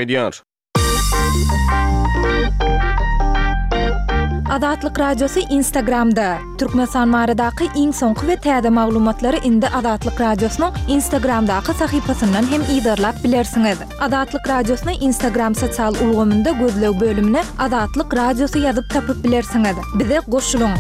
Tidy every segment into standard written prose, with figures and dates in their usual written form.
Edýär. Azatlyk Radiosy Instagramda, Türkmenistan baradaky iň soňky we täze maglumatlary indi Azatlyk Radiosynyň Instagramdaky sahypasyndan hem yzarlap bilersiňiz. Azatlyk Radiosyny Instagram sosial ulgamynda gözleg bölümine Azatlyk Radiosy ýazyp tapyp bilersiňiz. Bize goşulyň!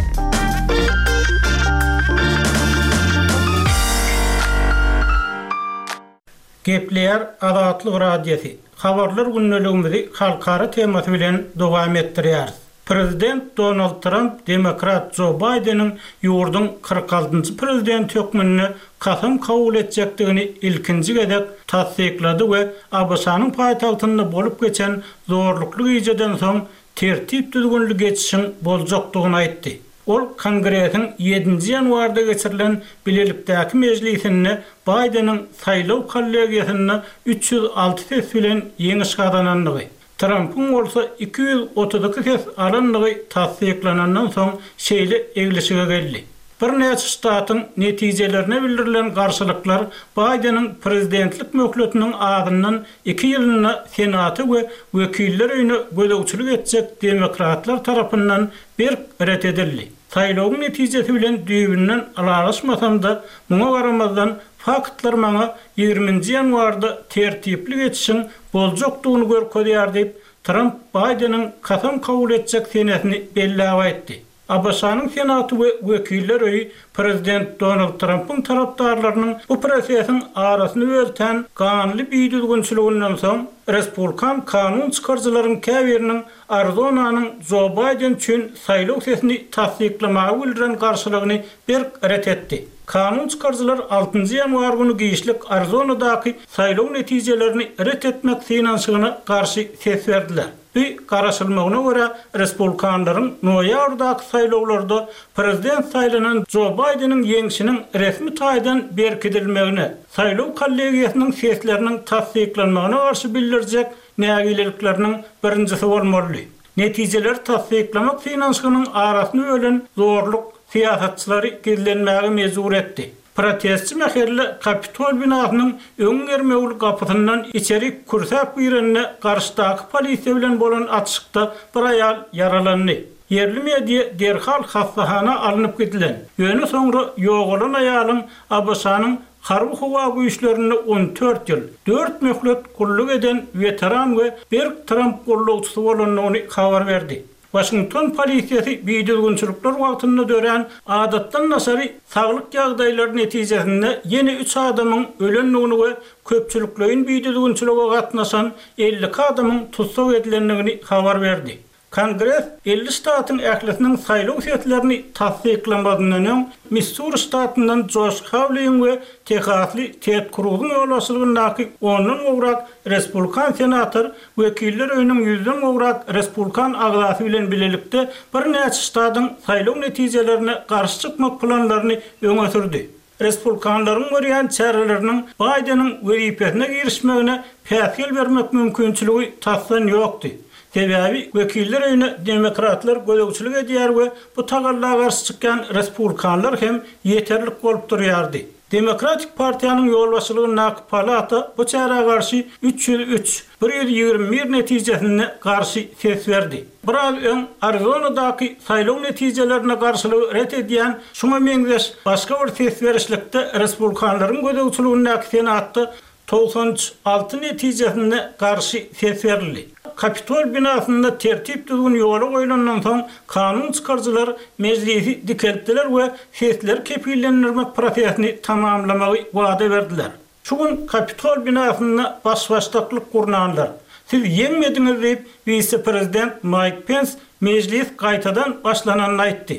Gepleýär Azatlyk Radiosy, Habarlar gündeligimizi halkara temasy bilen dowam etdirýäris. Prezident Donald Tramp demokrat Jo Baýdeniň ýurduň 46-njy prezidenti hökmünde kasam kabul etjekdigini ilkinji gezek tassyklady we ABŞ-nyň paýtagtynda bolup geçen zorlukly gijeden soň tertip-düzgünli geçişiň boljakdygyny aýtdy. Ol Kongresiň ýedinji ýanwarda geçirilen bilelikdäki mejlisinde Baýdeniň saýlaw kollegiýasynda 306 ses bilen ýeňiş gazanandygy, Trampyň bolsa 232 ses alandygy tassyklanandan soň şeýle eglişige geldi. Birnäçe ştatyň netijelerine bildirilen garşylyklar Baýdeniň prezidentlik möhletiniň azyndan iki ýylynda Senata we Wekiller öýüne gözegçilik etjek demokratlar tarapyndan berk ret edildi. Saýlawyň netijesi bilen düýbünden ylalaşmasam-da, muňa garamazdan, faktlar maňa ýigriminji ýanwarda tertipli geçişiň boljakdygyny görkezýär diýip, Tramp Baýdeniň kasam kabul etjek senesini belläp aýtdy. ABŞ-nyň Senaty we Wekiller öýi prezident Donald Trampyň tarapdarlarynyň bu prosesiň arasyny böltän ganly bidüzgünçiliginden soň, respublikan kanun çykaryjylaryň käbiriniň Arizonanyň Jo Baýden üçin saýlaw sesini tassyklamaga bildiren garşylygyny berk ret etdi. Kanun çykaryjylar altynjy ýanwar güni giçlik Arizonadaky saýlaw netijelerini ret etmek synanyşygyna garşy ses berdiler. Bu, garaşylmagyna görä, respublikanlaryň noýabrdaky saýlawlarda prezident saýlanan Jo Baýdeniň ýeňşiniň resmi taýdan berkidilmegine, saýlaw kollegiýasynyň sesleriniň tassyklanmagyna garşy bildirjek nägilelikleriniň birinjisi bolmalydy. Netijeleri tassyklamak synanyşygynyň arasyny bölen zorluk syýasatçylary gizlenmäge mejbur etdi. Protestçi mähelle Kapitol binasynyň öň germewli gapysyndan içerik kürsäp girende garşydaky polisiýa bilen bolan atyşykda bir aýal ýaralandy. Ýerli media derhal hassahana alnyp gidilen, ýöne soňra ýogalan aýalyň ABŞ-nyň Harby-howa güýçlerinde 14 ýyl, dört möhlet gulluk eden weteran we berk Tramp gollawçysy bolandygyny habar berdi. Waşington polisiýasy bidüzgünçilikler wagtynda dörän adatdan daşary saglyk ýagdaýlary netijesinde ýene üç adamyň ölendigini we köpçülikleýin bidüzgünçilige gatnaşan 52 adamyň tussag edilendigini habar berdi. Kongres 50 ştatyň ählisiniň saýlaw seslerini tassyklamazyndan öň, Missuri ştatyndan Joş Hawliň we tehasly Ted Kruzyň ýolbaşçylygyndaky ondan gowrak respublikan senator Wekiller öýüniň ýüzden gowrak respublikan agzasy bilen bilelikde birnäçe ştatyň saýlaw netijelerine garşy çykmak planlaryny öňe sürdi. Respublikanlaryň görýän çäreleriniň Baýdeniň wezipesine girişmegine päsgel bermek mümkinçiligi tasdan ýokdy. Sebäbi Wekiller öýüne demokratlar gözegçilik edýär we bu tagalla garşy çykýan respublikanlar hem ýeterlik bolup durýardy. Demokratik partiýanyň ýolbaşçylygyndaky palata bu çärä garşy 303, 121 netijesinde garşy ses berdi. Biraz öň Arizonadaky saýlaw netijelerine garşylygy ret edýän şuňa meňzeş başga bir ses berişlikde respublikanlaryň gözegçiligindäki Senatda 96 netijesinde garşy ses berildi. Kapitol binasynda tertip-düzgün ýola goýlandan soň, kanun çykaryjylar mejlisi dikeltdiler we sesleri kepillendirmek prosesini tamamlamagy wada berdiler. Şu gün Kapitol binasynda baş-başdaklyk gurnanlar, Siz ýeňmediňiz diýip, wise-prezident Maýk Pens mejlis gaýtadan başlananyny aýtdy.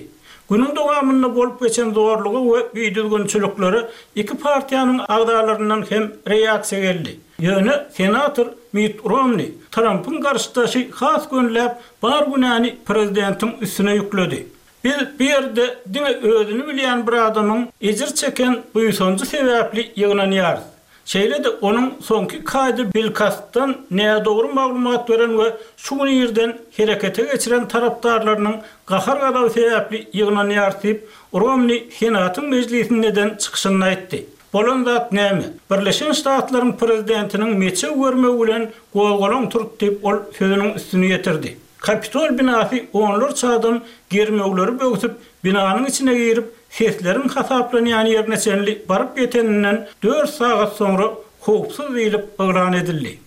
Günüň dowamynda bolup geçen zorluga we bidüzgünçiliklere iki partiýanyň agzalaryndan hem reaksiýa geldi. Ýöne senator Mitt Romni, Trampyň garşydaşy has gönüläp bar günäni prezidentiň üstüne ýükledi. Biz bu ýerde diňe özüni bilýän bir adamyň ejir çeken buýsanjy sebäpli ýygnanýarys. Şeýle-de onuň soňky iki aýda bilkastdan nädogry maglumat beren we şu gün irden herekete geçiren tarapdarlarynyň gahar-gazaby sebäpli ýygnanýarys diýip, Romni Senatyň mejlisinde eden çykyşynda aýtdy. Bolan zat näme? Birleşen Ştatlaryň prezidentiniň meçew bermegi bilen gozgalaň turdy diýip, ol sözüniň üstüni ýetirdi. Kapitol binasy onlarça adam germewleri böwsüp, binanyň içine girip, sesleriň hasaplanýan ýerine çenli baryp ýeteninden dört sagat soňra howpsuz diýlip yglan edildi.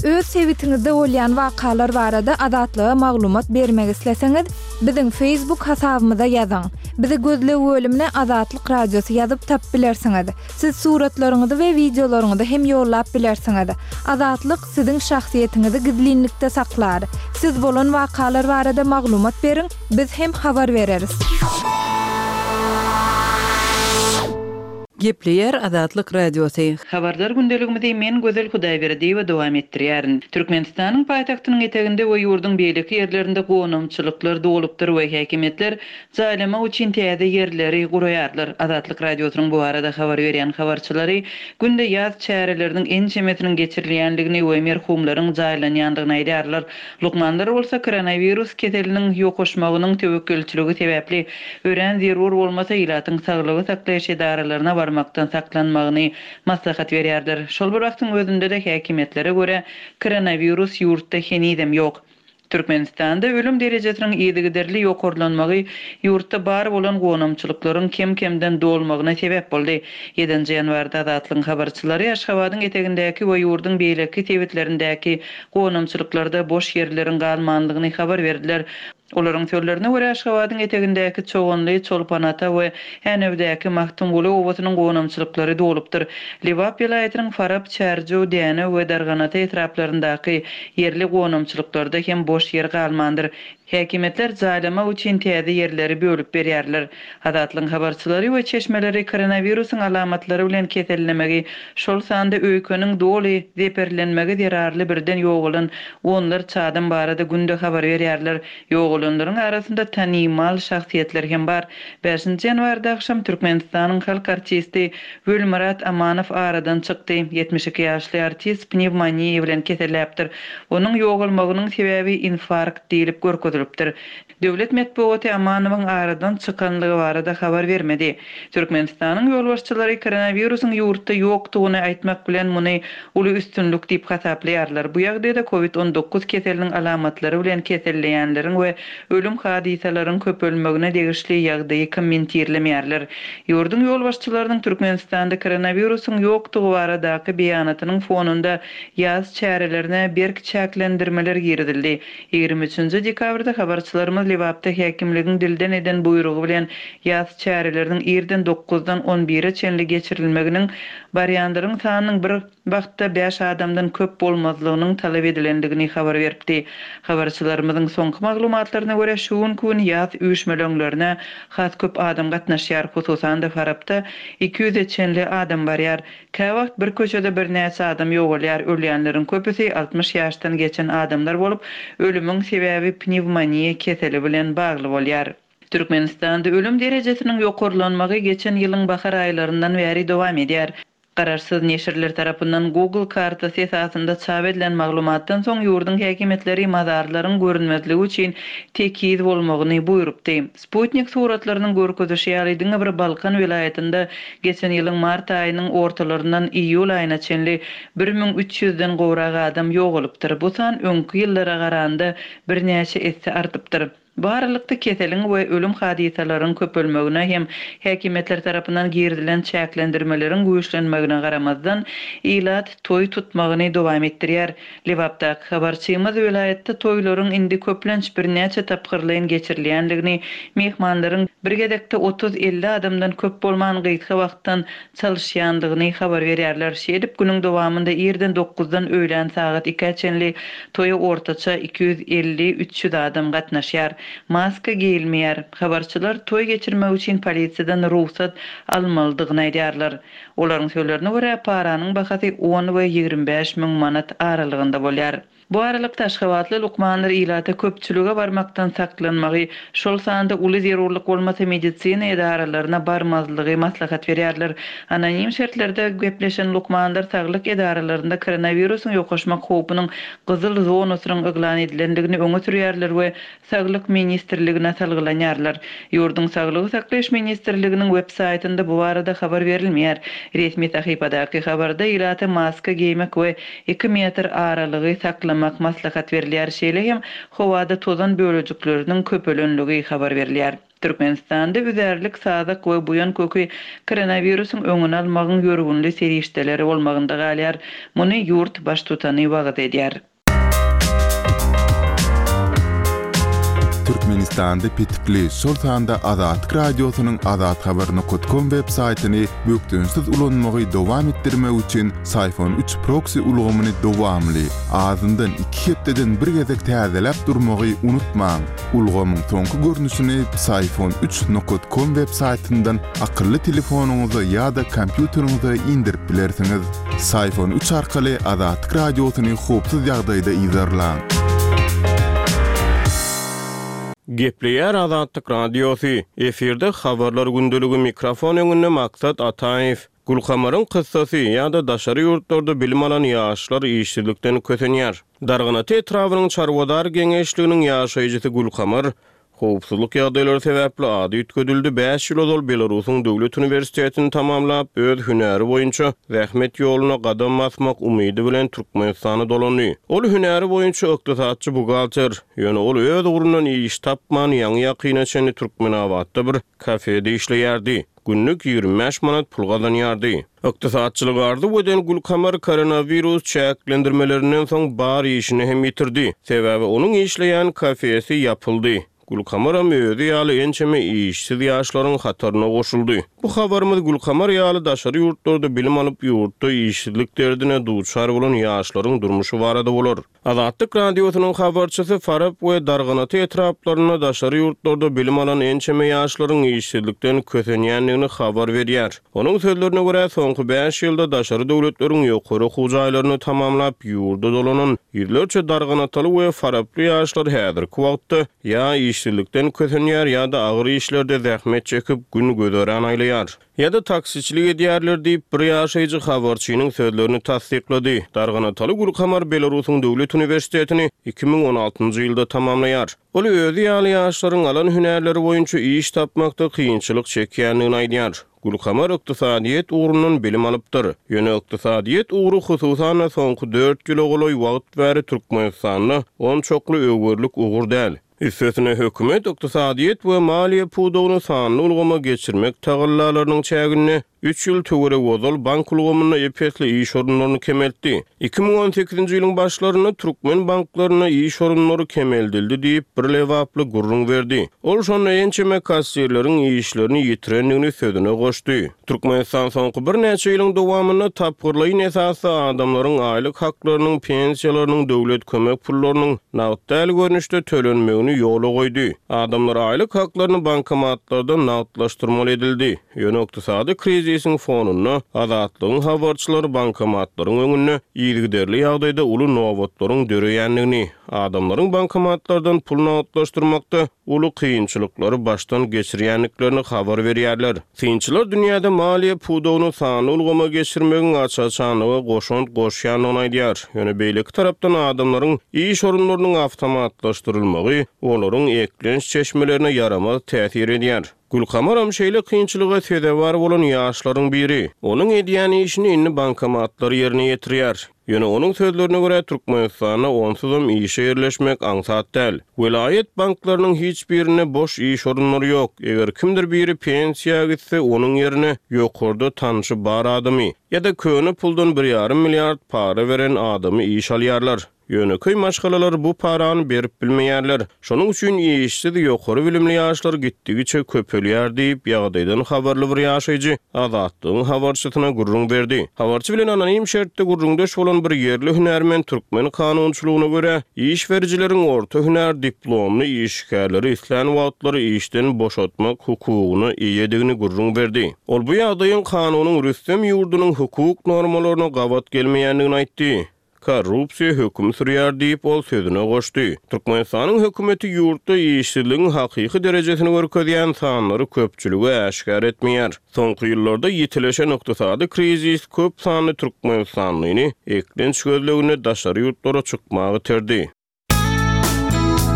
Öz sebitiňizde bolýan wakalar barada Azatlyga maglumat bermek isleseňiz, biziň Facebook hasabymyza ýazyň. Bizi gözleg bölümine Azatlyk Radiosy ýazyp tapyp bilersiňiz. Siz suratlaryňyzy we wideolaryňyzy hem ýollap bilersiňiz. Azatlyk siziň şahsyýetiňizi gizlinlikde saklar. Siz bolan wakalar barada maglumat beriň, biz hem habar bereris. Gepleýär Azatlyk Radiosy. Habarlar gündeligimizi men Gözel Hudaýberdiýewa dowam etdirýärin. Türkmenistanyň paýtagtynyň eteginde we ýurduň beýleki ýerlerinde gonamçylyklar dolupdyr we häkimiýetler Jaýlamak üçin täze ýerleri guraýarlar. Azatlyk Radiosynyň bu barada habar berýän habarçylary günde ýas çäreleriniň ençemesiniň geçirilýändigini we merhumlaryň jaýlanýandygyny aýdýarlar. Lukmanlar bolsa koronawirus keseliniň ýokaşmagynyň töwekgelçiligi sebäpli örän zerur bolmasa ilatyň saglygy saklaýyş edaralaryna barmakdan saklanmagyny maslahat berýärler. Şol bir wagtyň özünde-de häkimiýetlere görä koronawirus ýurtda henizem ýok. Türkmenistanda ölüm derejesiniň yzygiderli ýokarlanmagy ýurtda bar bolan gonamçylyklaryň kem-kemden dolmagyna sebäp boldy. Ýedinji ýanwarda Azatlygyň habarçylary Aşgabadyň etegindäki we ýurduň beýleki sebitlerindäki gonamçylyklarda boş ýerleriň galmanlygyny habar berdiler. Olaryň sözlerine görä, Aşgabadyň etegindäki Çoganly, Çolpanata we Änewdäki Magtymguly obasynyň gonamçylyklary dolupdyr. Lebap welaýatynyň Farap, Çärjew, Dänew we Darganata etraplaryndaky ýerli gonamçylyklarda hem boş ýer galmandyr. Häkimiýetler jaýlamak üçin täze ýerleri bölüp berýärler. Azatlygyň habarçylary we çeşmeleri koronawirusyň alamatlary bilen kesellemegi, şol sanda öýkeniň doly zeperlenmegi zerarly birden ýogalan onlarça adam barada günde habar berýärler. Ýogalanlaryň arasynda tanymal şahsyýetler hem bar. Bäşinji ýanwarda agşam Türkmenistanyň halk artisti Welmyrat Amanow aradan çykdy. 72 ýaşly artist pnewmoniýa bilen keselläpdir. Onuň ýogalmagynyň sebäbi infarkt diýlip görkezilipdir. Döwlet metbugaty Amanowyň aradan çykanlygy barada habar bermedi. Türkmenistanyň ýolbaşçylary koronawirusyň ýurtda ýokdugyny aýtmak bilen muny uly üstünlik diýip hasaplaýarlar. Bu ýagdaýda covid 19 keseliniň alamatlary bilen keselleýänleriň we ölüm hadysalaryň köpelmegine degişli ýagdaýy kommentirlemeýärler. Ýurduň ýolbaşçylarynyň Türkmenistanda koronawirusyň ýokdugy baradaky beýanatynyň fonunda ýas çärelerine berk çäklendirmeler girizildi. 23-nji dekabrda habarçylarymyz Lebapda häkimligiň dilden eden buýrugy bilen ýas çäreleriniň irden dokuzdan on bire çenli geçirilmeginiň, barýanlaryň sanynyň bir wagtda bäş adamdan köp bolmazlygynyň talap edilendigini habar beripdi. Habarçylarymyzyň soňky maglumatlaryna görä, şu günki gün ýas üýşmeleňlerine has köp adam gatnaşýar, hususan-da Farapda iki ýüze çenli adam barýar. Käwagt bir köçede birnäçe adam ýogalýar, ölýänleriň köpüsi 60 ýaşdan geçen adamlar bolup, ölümiň sebäbi pnewmoniýa keseli bilen bagly bolýar. Türkmenistanda ölüm derejesiniň ýokarlanmagy geçen ýylyň bahar aýlaryndan bäri dowam edýär. Garaşsyz neşirler tarapyndan Google kartasy esasynda çap edilen maglumatdan soň ýurduň häkimiýetleri mazarlaryň görünmezligi üçin tekiz bolmagyny buýrupdy. Sputnik suratlarynyň görkezişi ýaly, diňe bir Balkan welaýatynda geçen ýylyň mart aýynyň ortalaryndan iýul aýyna çenli 1300 den gowrak adam ýogalypdyr. Bu san öňki ýyllara garanda birnäçe esse artypdyr. Bu aralykda, keseliň we ölüm hadysalaryň köpelmegine hem häkimiýetler tarapyndan girizilen çäklendirmeleriň güýçlenmegine garamazdan, ilat toý tutmagyny dowam etdirýär. Lebapdaky habarçymyz welaýatda toýlaryň indi köplenç birnäçe tapgyrlaýyn geçirilýändigini, myhmanlaryň bir gezekde otuz-elli adamdan köp bolman gysga wagtdan çalyşýandygyny habar berýärler. Şeýdip, günüň dowamynda irden dokuzdan öýlän sagat ikä çenli toýa ortaça 250-300 adam gatnaşýar. Maska geýilmeýär. Habarçylar toý geçirmek üçin polisiýadan rugsat almalydygyny aýdýarlar. Olaryň sözlerine görä, paranyň bahasy on we 25 müň manat aralygynda bolýar. Bu aralykda, aşgabatly lukmanlar ilata köpçülige barmakdan saklanmagy, şol sanda uly zerurlyk bolmasa medisina edaralaryna barmazlygy maslahat berýärler. Anonim şertlerde gepleşen lukmanlar saglyk edaralarynda koronawirusyň ýokaşmak howpunyň gyzyl zonasynyň yglan edilendigini öňe sürýärler we Saglyk ministrligine salgylanýarlar. Ýurduň Saglygy saklaýyş ministrliginiň web saýtynda bu barada habar berilmeýär. Resmi sahypadaky habarda ilata maska geýmek we iki metr aralygy saklamak maslahat berilýär, şeýle hem howada tozan bölejikleriniň köpelenligi habar berilýär. Türkmenistanda üzärlik, sazak we buýan köki koronawirusyň öňüni almagyň ýörgünli serişdeleri bolmagynda galýar. Muny ýurt Baştutany wagyz edýär. Türkmenistanda petikli, şol sanda Azatlyk Radiosynyň azathabar nokat kom web saýtyny bökdençsiz ulanmagy dowam etdirmek üçin Syfon üç proksi ulgamyny dowamly, azyndan iki hepdeden bir gezek täzeläp durmagy unutmaň. Ulgamyň soňky görnüşini Psiphon üç nokat kom web saýtyndan akylly telefonyňyza ýa-da kompýuteriňize indirip bilersiňiz. Psiphon üç arkaly Azatlyk Radiosyny howpsuz ýagdaýda yzarlaň. Gepleýär Azatlyk Radiosy, efirde Habarlar gündeligi mikrofon öňünde Maksat Ataýew. Gülkamaryň kyssasy ýa-da daşary ýurtlarda bilim alan ýaşlar işsizlikden kösenýär. Darganata etrabynyň Çarwadar geňeşliginiň ýaşaýjysy Gülkamar, howpsuzlyk ýagdaýlary sebäpli ady üýtgedildi, bäş ýyl ozal Belarusyň döwlet uniwersitetini tamamlap, öz hünäri boýunça zähmet ýoluna gadam basmak umydy bilen Türkmenistana dolandy. Ol hünäri boýunça ykdysatçy-buhgalter, ýöne ol öz ugrundan iş tapman, ýaňy-ýakyna çenli Türkmenabatda bir kafede işleýärdi. Günlük 25 manat pul gazanýardy. Ykdysatçylygy arzuw eden Gülkamar koronawirus çäklendirmelerinden soň bar işini hem ýitirdi. Sebäbi onuň işleýän kafesi ýapyldy. Gülkamaram özi ýaly ençeme işsiz ýaşlaryň hataryna goşuldy. Bu habarymyz Gülkamar ýaly daşary ýurtlarda bilim alyp ýurtda işsizlik derdine duçar bolan ýaşlaryň durmuşy barada bolar. Azatlyk Radiosynyň habarçysy Farap we Darganata etraplarynda daşary ýurtlarda bilim alan ençeme ýaşlaryň işsizlikden kösenýändigini habar berýär. Onuň sözlerine görä, soňky bäş ýylda daşary döwletleriň ýokary okuw jaýlaryny tamamlap, ýurda dolanan ýüzlerçe darganataly we faraply ýaşlar häzirki wagtda ýa işsizlikden kösenýär, ýa-da agyr işlerde zähmet çekip, gün-güzeran aýlaýar. Ýa-da taksiçilik edýärler diýip, bir ýaşaýjy habarçynyň sözlerini tassyklady. Darganataly Gülkamar Belarusyň döwlet uniwersitetini 2016-njy ýylda tamamlaýar. Ol özi ýaly ýaşlaryň alan hünärleri boýunça iş tapmakda kynçylyk çekýändigini aýdýar. Gülkamar ykdysadyýet ugrundan bilim alypdyr. Ýöne ykdysadyýet ugry hususan-da soňky dört ýyla golaý wagt bäri Türkmenistanda onçakly öwerlik ugur däl. Üstesine, hökümet ykdysadyýet we maliýe pudagyny sanly ulgama geçirmek tagallalarynyň çäginde üç ýyl töweregi ozal bank ulgamynda ep-esli iş orunlaryny kemeltdi. 2018-nji ýylyň başlarynda türkmen banklarynda iş orunlary kemeldildi diýip, bir lebaply gürrüň berdi. Ol şonda ençeme kassirleriň işlerini ýitirendigini sözüne goşdy. Türkmenistan soňky birnäçe ýylyň dowamynda tapgyrlaýyn esasda adamlaryň aýlyk haklarynyň, pensiýalarynyň, döwlet kömek pullarynyň nagt däl görnüşde tölenmegini ýola goýdy. Adamlar aýlyk haklaryny bankomatlardan nagtlaşdyrmaly edildi. Ýöne ykdysady krizisiň fonunda Azatlygyň habarçylary bankomatlaryň öňünde yzygiderli ýagdaýda uly nobatlaryň döreýändigini, adamlaryň bankomatlardan pul nagtlaşdyrmakda uly kynçylyklary başdan geçirýändiklerini habar berýärler. Synçylar dünýäde maliýe pudagyny sanly ulgama geçirmegiň aç-açanlyga goşant goşýandygyny aýdýar. Ýöne beýleki tarapdan adamlaryň iş orunlarynyň awtomatlaşdyrylmagy olaryň eklenç çeşmelerine ýaramaz täsir edýär. Gülkamaram şeýle kynçylyga sezewar bolan ýaşlaryň biri. Onuň edýän işini indi bankomatlar ýerine ýetirýär. Ýöne onuň sözlerine görä, Türkmenistanda onsuzam işe ýerleşmek aňsat däl. Welaýat banklarynyň hiç birinde boş iş orunlary ýok. Eger kimdir biri pensiýa gitse, onuň ýerine ýokarda tanşy bar adamy, ýa-da köne puldan bir ýarym milliard para beren adamy işe alýarlar. Ýönekeý maşgalalar bu parany berip bilmeýärler. Şonuň üçin işsiz ýokary bilimli ýaşlar gitdigiçe köpelýär diýip, ýagdaýdan habarly bir ýaşaýjy Azatlygyň habarçysyna gürrüň berdi. Habarçy bilen anonim şertde gürrüňdeş bolan bir ýerli hünärmen türkmen kanunçylygyna görä, iş berijileriň orta hünär diplomly işgärleri islän wagtlary işden boşatmak hukugyna eýedigini gürrüň berdi. Ol bu ýagdaýyň kanunyň rüstem ýurdunyň hukuk normalaryna gabat gelmeýändigini aýtdy. Korrupsiýa höküm sürýär diýip, ol sözüne goşdy. Türkmenistanyň hökümeti ýurtda işsizligiň hakyky derejesini görkezýän sanlary köpçülige äşgär etmeýär. Soňky ýyllarda ýitileşen ykdysady krizis köp sanly türkmenistanlyny eklenç gözleginde daşary ýurtlara çykmaga iterdi.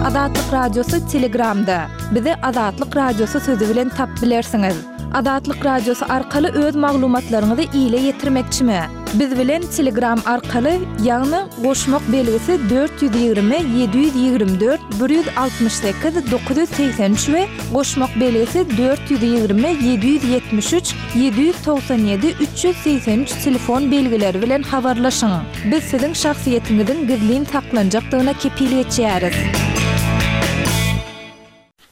Azatlyk Radiosy Telegramda. Bizi Azatlyk Radiosy sözi bilen tap bilersiňiz. Azatlyk Radiosy arkaly öz maglumatlaryňyzy ile ýetirmekçimi? Biz bilen Telegram arkaly, ýagny goşmak belgisi 420 724 168 983 we goşmak belgisi 420 773 797 383 telefon belgileri bilen habarlaşyň. Biz siziň şahsyýetiňiziň gizlin saklanjakdygyna kepil geçýäris.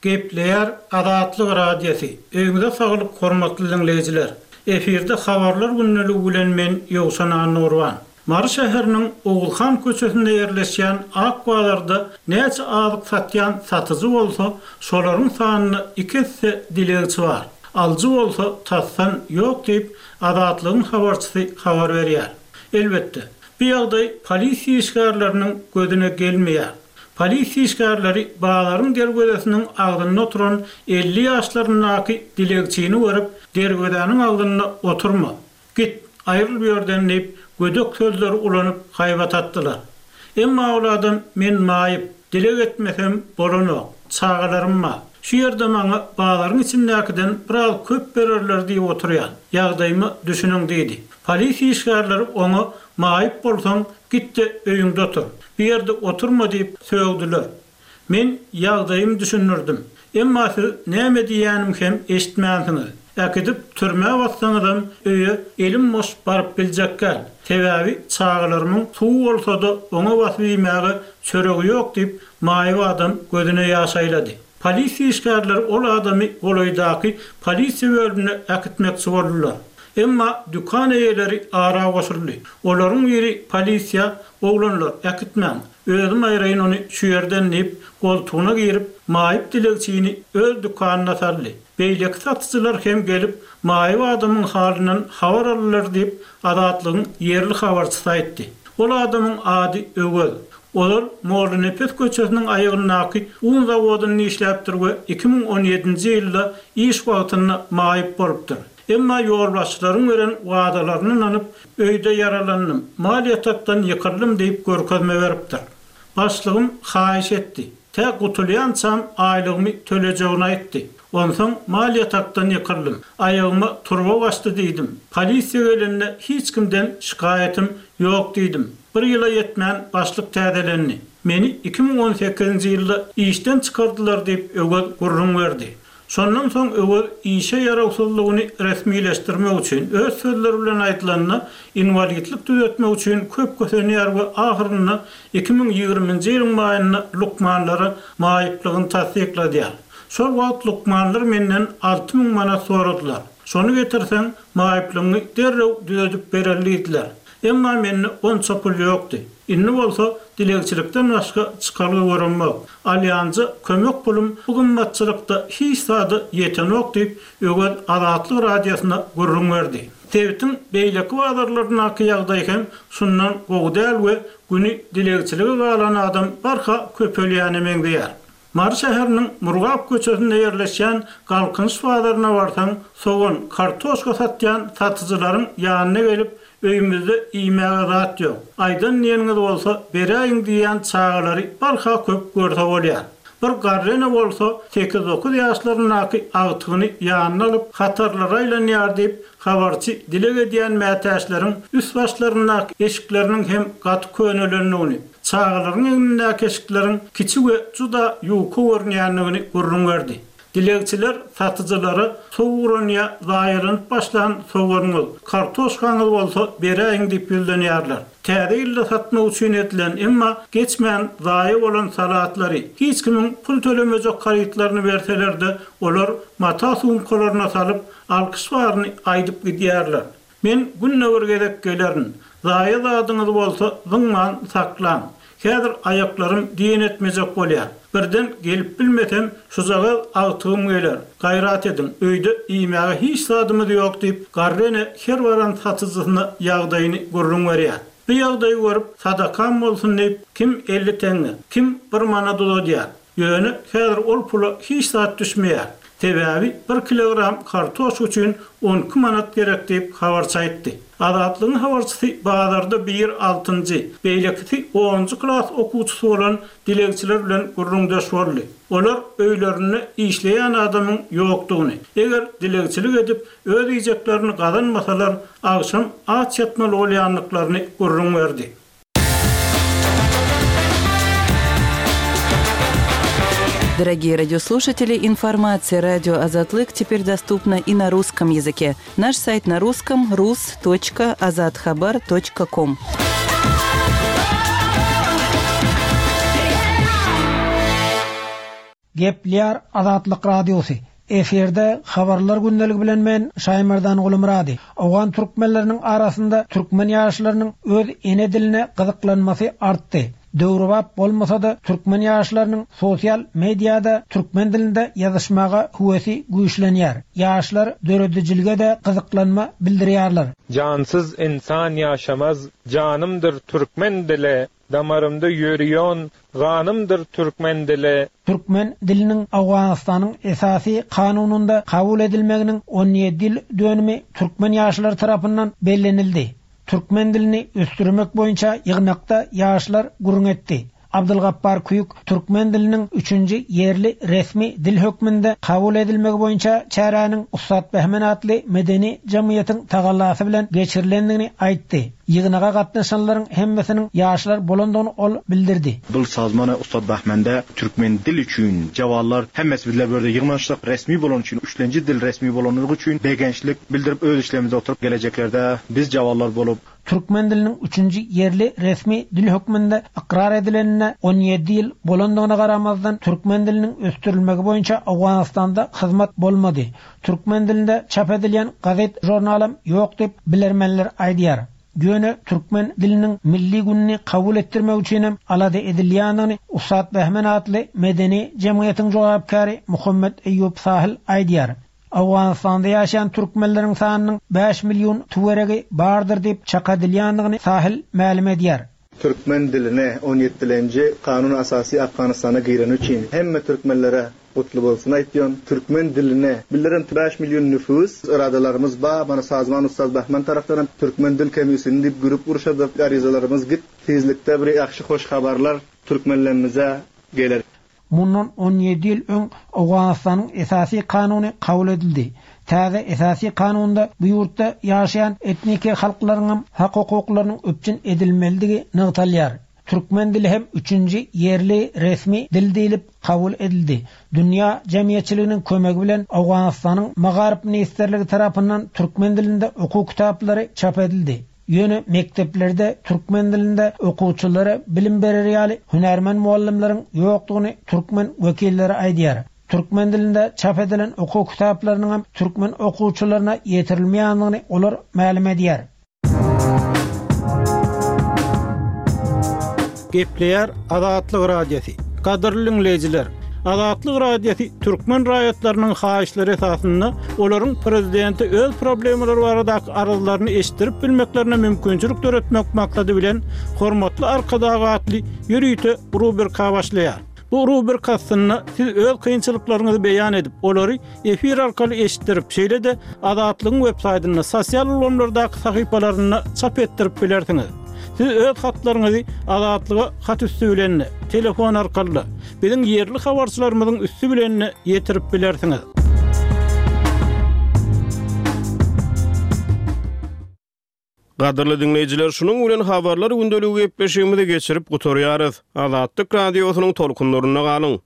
Gepleýär Azatlyk Radiosy, Öýüňize saglyk hormatly diňleýjiler! Efirde Habarlar gündeligi bilen men Ýowşan Annagurban. Mary şäheriniň Oguzhan köçesinde ýerleşýän Ak bazarda näçe azyk satýan satyjy bolsa, şolaryň sanynda iki esse dilegçi bar. Alyjy bolsa tasdan ýok diýip, Azatlygyň habarçysy habar berýär. Elbetde, bu ýagdaý polisiýa işgärleriniň gözüne gelmeýär. Polisiýa işgärleri bazaryň derwezesiniň agzynda oturan 50 ýaşlaryndaky dilegçini görüp, derwezäniň agzynda oturma, git, aýryl bu ýerden diýip, gödek sözleri ulanyp haýbat atdylar. Emma ol adam men maýyp, dileg etmesem bolanok, çagalarym bar. Şu ýerde maňa bazaryň içindäkiden biraz köp bererler diýip oturýan. Ýagdaýyma düşüniň diýdi. Polisiýa işgärleri oňa maýyp bolsaň, git-de öýüňde otur. Bu ýerde oturma diýip sögdüler. Men ýagdaýymy düşündirdim. Emma siz näme diýýänimi hem eşitmänsiňiz. Äkidip türmä bassaňyzam öýe elim boş baryp biljek däl. Sebäbi çagalarymyň suwy bolsa-da oňa basyp iýmäge çöregi ýok diýip, maýyp adam gözüne ýaş aýlady. Polisiýa işgärleri ol adamy golaýdaky polisiýa bölümine äkitmekçi boldular. Emma dükan eýeleri ara goşuldy. Olaryň biri polisiýa, Oglanlar, äkitmäň, özüm aýraýyn ony şu ýerden diýip, goltugyna girip, maýyp dilegçini öz dükanyna saldy. Beýleki satyjylar hem gelip, maýyp adamyň halyndan habar aldylar diýip, Azatlygyň ýerli habarçysy aýtdy. Ol adamyň ady Öwez. Ozal Mollanepes köçesiniň aýagyndaky un zawodynda işläpdir we 2017-nji ýylda iş wagtynda maýyp bolupdyr. Emma ýolbaşçylaryň beren wadalaryna ynanyp, öýde ýaralandym, mal ýatakdan ýykyldym diýip görkezme beripdir. Başlygym haýyş etdi. Tä gutulýançam aýlygymy tölejegini aýtdy. Onsoň mal ýatakdan ýykyldym. Aýagyma turba gaçdy diýdim. Polisiýa gelende hiç kimden şikaýatym ýok diýdim. Bir ýyla ýetmän başlyk täzelendi. Meni 2018-nji ýylda işden çykardylar diýip Öwez gürrüň berdi. Şondan soň Öwez işe ýarawsyzlygyny resmileşdirmek üçin, öz sözleri bilen aýdylanda, inwalidlik düzetmek üçin köp kösenýär we ahyrynda 2020-nji ýylyň maýynda lukmanlara maýyplygyny tassykladýar. Şol wagt lukmanlar menden 6000 manat soradylar. Şony getirseň, maýyplygyňy derrew düzedip bereli diýdiler. Emma mende onça pul ýokdy. Indi bolsa dilegçilikden başga çykalga göremok. Alýanja kömek pulum bu gymmatçylykda hiç zada ýetenok diýip, Öwez Azatlyk Radiosyna gürrüň berdi. Sebitiň beýleki bazarlaryndaky ýagdaý hem şundan gowy däl we güni dilegçilige galan adam barha köpelýäne meňzeýär. Mary şäheriniň Murgap köçesinde ýerleşýän Galkynyş bazaryna barsaň, sogan, kartoşka satýan satyjylaryň ýanyna gelip, öýümizde iýmäge zat ýok, aýdan-diýeniňiz bolsa beräýiň diýýän çagalary barha köp görse bolýar. Bir garry ene bolsa sekiz-dokuz ýaşlaryndaky agtygyny ýanyna alyp, hatarlara aýlanýar diýip, habarçy dileg edýän mätäçleriň üst-başlaryndaky eşikleriniň hem gaty könelendigini, çagalaryň egnindäki eşikleriň kiçi we juda ýuka görünýändigini gürrüň berdi. Dilegçiler satyjylara sowuran ýa zaýalanyp başlan soganyňyz, kartoşkaňyz bolsa beräýiň diýip ýüzlenýärler. Täze ýylda satmak üçin edilen, emma geçmän zaýa bolan salatlary, hiç kimiň pul tölemejek harytlaryny berseler-de, olar mata sumkalaryna salyp, alkyş baryny aýdyp gidýärler. Men günde bir gezek gelerin. Zaýa zadyňyz bolsa zyňman saklaň. Häzir aýaklarym diýen etmejek bolýar. Birden gelip bilmesem, şujagaz agtygym geler. Gaýrat ediň, öýde iýmäge hiç zadymyz ýok diýip, garry ene her baran satyjysyna ýagdaýyny gürrüň berýär. Bu ýagdaýy görüp, sadakam bolsun diýip, kim 50 teňňe, kim bir manat uzadýar. Ýöne häzir ol pula hiç zat düşmeýär. Sebäbi bir kilogram kartoşka üçin 12 manat gerek diýip, habarçy aýtdy. Azatlygyň habarçysy bazarda biri altynjy, beýlekisi onunjy klas okuwçysy bolan dilegçiler bilen gürrüňdeş boldy. Olar öýlerinde işleýän adamyň ýokdugyny, eger dilegçilik edip, öz iýjeklerini gazanmasalar, agşam aç ýatmaly bolýandyklaryny gürrüň berdi. Дорогие радиослушатели, информация радио Азатлык теперь доступна и на русском языке. Наш сайт на русском rus.azathabar.com. Gepleýär Azatlyk Radiosy, Efirde Habarlar gündeligi bilen men Şaýmerdan Gulumyrady. Owgan türkmenleriniň arasynda türkmen ýaşlarynyň öz ene diline gyzyklanmasy artdy. Döwrebap bolmasa-da türkmen ýaşlarynyň sosial mediada türkmen dilinde ýazyşmaga höwesi güýçlenýär. Ýaşlar döredijilige-de gyzyklanma bildirýärler. Jansyz ynsan ýaşamaz, janymdyr türkmen dili. Damarymda ýörýon ganymdyr türkmen dili. Türkmen diliniň Owganystanyň Esasy Kanunynda kabul edilmeginiň 17 ýyl dönümi türkmen ýaşlary tarapyndan bellenildi. Türkmen dilini ösdürmek boýunça ýygnakda ýaşlar gürrüň etdi. Abdylgapbar Küýük türkmen diliniň üçünji ýerli resmi dil hökmünde kabul edilmegi boýunça çäräniň Ussat Behmen atly medeni jemgyýetiň tagallasy bilen geçirilendigini aýtdy. Ýygnaga gatnaşanlaryň hemmesiniň ýaşlar bolandygyny ol bildirdi. Bul sazmana Ussat Bahmende türkmen dil üçin jawanlar hemmesi bizler bu ýerde ýygnanyşdyk resmi bolany üçin üçlenji dil resmi bolanlygy üçin begençlik bildirip öz işlerimizde oturyp geleceklerde biz jawanlar bolup Türkmen diliniň üçünji ýerli resmi dil hökmünde ykrar edilenine 17 ýyl bolandygyna garamazdan türkmen diliniň ösdürilmegi boýunça Owganystanda hyzmat bolmady. Türkmen dilinde çap edilýän gazet-žurnalam ýok diýip, bilermenler aýdýar. Ýöne türkmen diliniň milli gününi kabul etdirmek üçinem alada edilýändigini Ussat Behmen atly medeni jemgyýetiň jogapkäri Muhammet Eýýup Sahil aýdýar. Owganystanda ýaşaýan türkmenleriň sanynyň bäş million töweregi bardyr diýip çak edilýändigini Sahil mälim edýär. Türkmen diline on ýetdilenji Kanun Asasy Afganystana gireni üçin hemme türkmenlere gutly bolsun aýtýan. Türkmen diline bildiren bäş million nüfus yradalarymyz ba mana Sazman Ustaz Bahman tarapdanam Türkmen dil komisyny diýip gürüp urşadyk aryzalarymyz git tizlikde bir ýagşy hoş habarlar türkmenlemmize geler. Mundan 17 ýyl öň Owganystanyň Esasy Kanuny kabul edildi. Täze Esasy Kanunda bu ýurtda ýaşaýan etniki halklaryňam hak-hukuklarynyň üpjün edilmelidigi nygtalýar. Türkmen dili hem üçünji ýerli resmi dil diýlip kabul edildi. Dünýä jemgyýetçiliginiň kömegi bilen Owganystanyň Magaryf ministrligi tarapyndan türkmen dilinde okuw kitaplary çap edildi. Ýöne mekdeplerde türkmen dilinde okuwçylara bilim berer ýaly hünärmen mugallymlaryň ýokdugyny türkmen wekilleri aýdýar. Türkmen dilinde çap edilen okuw kitaplarynyňam türkmen okuwçylaryna ýetirilmeýändigini olar mälim edýär. Gepleýär Azatlyk Radiosy. Gadyrly diňleýjiler! Azatlyk Radiosy türkmen raýatlarynyň haýyşlary esasynda olaryň prezidente öz problemalary baradaky arzlaryny eşitdirip bilmeklerine mümkinçilik döretmek maksady bilen Hormatly Arkadag atly ýörite rubrika başlaýar. Bu rubrika astynda siz öz kynçylyklaryňyzy beýan edip, olary efir arkaly eşitdirip, şeýle-de Azatlygyň websaýtynda, sosial ulgamlardaky sahypalarynda çap etdirip bilersiňiz. Siz öz hatlaryňyzy Azatlyga hat üsti bilen-de, telefon arkaly-da, biziň ýerli habarçylarymyzyň üsti bilen-de ýetirip bilersiňiz. Gadyrly diňleýjiler, şunuň bilen Habarlar gündeligi gepleşigimizi geçirip gutarýarys. Azatlyk Radiosynyň tolkunlarynda galyň!